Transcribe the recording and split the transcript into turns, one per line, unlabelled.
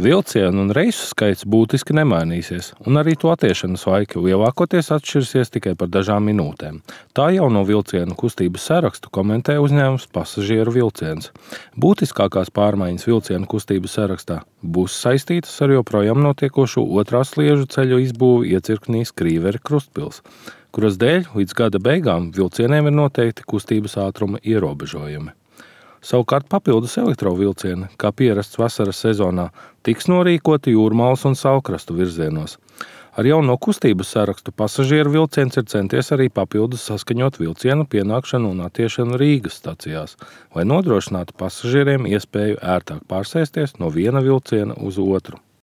Vilcienu un reisu skaits būtiski nemainīsies, un arī to attiešanas laiki lielākoties atšķirsies tikai par dažām minūtēm. Tā jauno vilcienu kustības sarakstu komentē uzņēmums Pasažieru vilciens. Būtiskākās pārmaiņas vilcienu kustības sarakstā būs saistītas ar joprojām notiekošo otrā sliežu ceļu izbūvi iecirknī Skrīveri-Krustpils, kuras dēļ līdz gada beigām vilcieniem ir noteikti kustības ātruma ierobežojumi. Savukārt papildus elektrovilcieni, kā pierasts vasaras sezonā, tiks norīkoti Jūrmalas un Saulkrastu virzienos. Ar jauno kustības sarakstu Pasažieru vilciens ir centies arī papildus saskaņot vilcienu pienākšanu un attiešanu Rīgas stacijās, lai nodrošinātu pasažieriem iespēju ērtāk pārsēsties no viena vilciena uz otru.